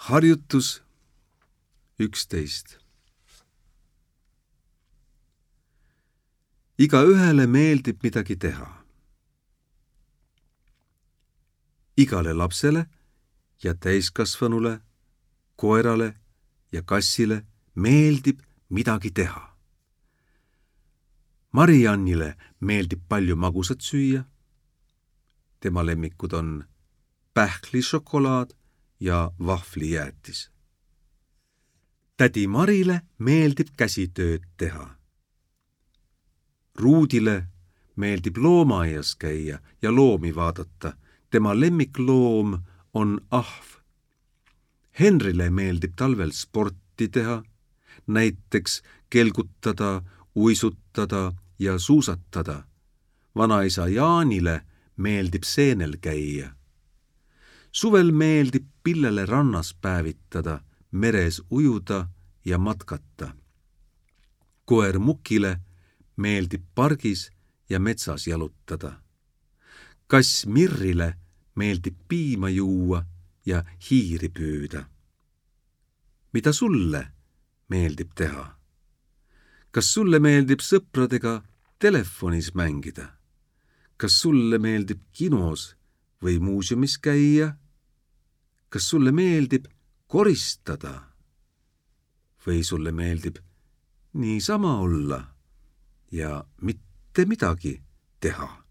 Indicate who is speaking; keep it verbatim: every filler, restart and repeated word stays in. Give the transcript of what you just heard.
Speaker 1: Harjutus üksteist. Igaühele meeldib midagi teha. Igale lapsele ja täiskasvanule, koerale ja kassile meeldib midagi teha. Mariannile meeldib palju magusat süüa. Tema lemmikud on pähklišokolaad ja vahvlijäätis. Tädi Marile meeldib käsitööd teha. Ruudile meeldib loomaaias käia ja loomi vaadata. Tema lemmikloom on ahv. Henrile meeldib talvel sporti teha, näiteks kelgutada, uisutada ja suusatada. Vanaisa Jaanile meeldib seenel käia. Suvel meeldib Pillele rannas päevitada, meres ujuda ja matkata. Koer Mukile meeldib pargis ja metsas jalutada. Kass Mirrile meeldib piima juua ja hiiri püüda. Mida sulle meeldib teha? Kas sulle meeldib sõpradega telefonis mängida? Kas sulle meeldib kinos või muuseumis käia? Kas sulle meeldib koristada? Või sulle meeldib niisama olla ja mitte midagi teha?